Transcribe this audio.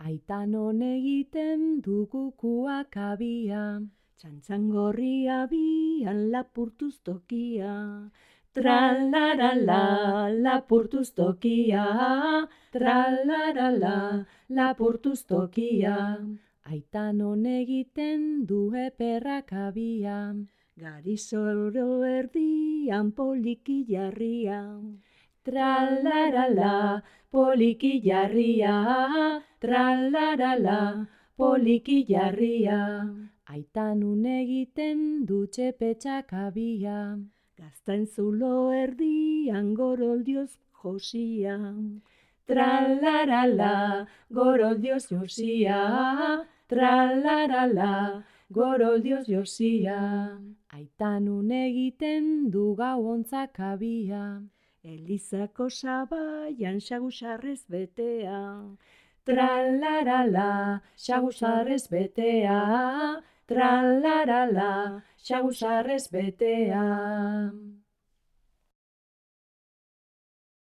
Aitan hon egiten du kukuak abia, Txantxangorria bian lapurtuz tokia. Tralarala, lapurtuz tokia. Tralarala, lapurtuz tokia. aitan hon egiten du eperrak abia, Garizoro erdian poliki jarria. tralarala, poliki jarria, tralarala, poliki jarria. Aitan hon egiten du txepetxak abia, Gaztain zulo erdian goroldioz josia. tralarala, goroldioz josia, tralarala, goroldioz josia. Aitan hon egiten du gauontzak abia, Elizako sabaian xagusarrez betea. tralarala, xagusarrez betea, tralarala, xagusarrez betea.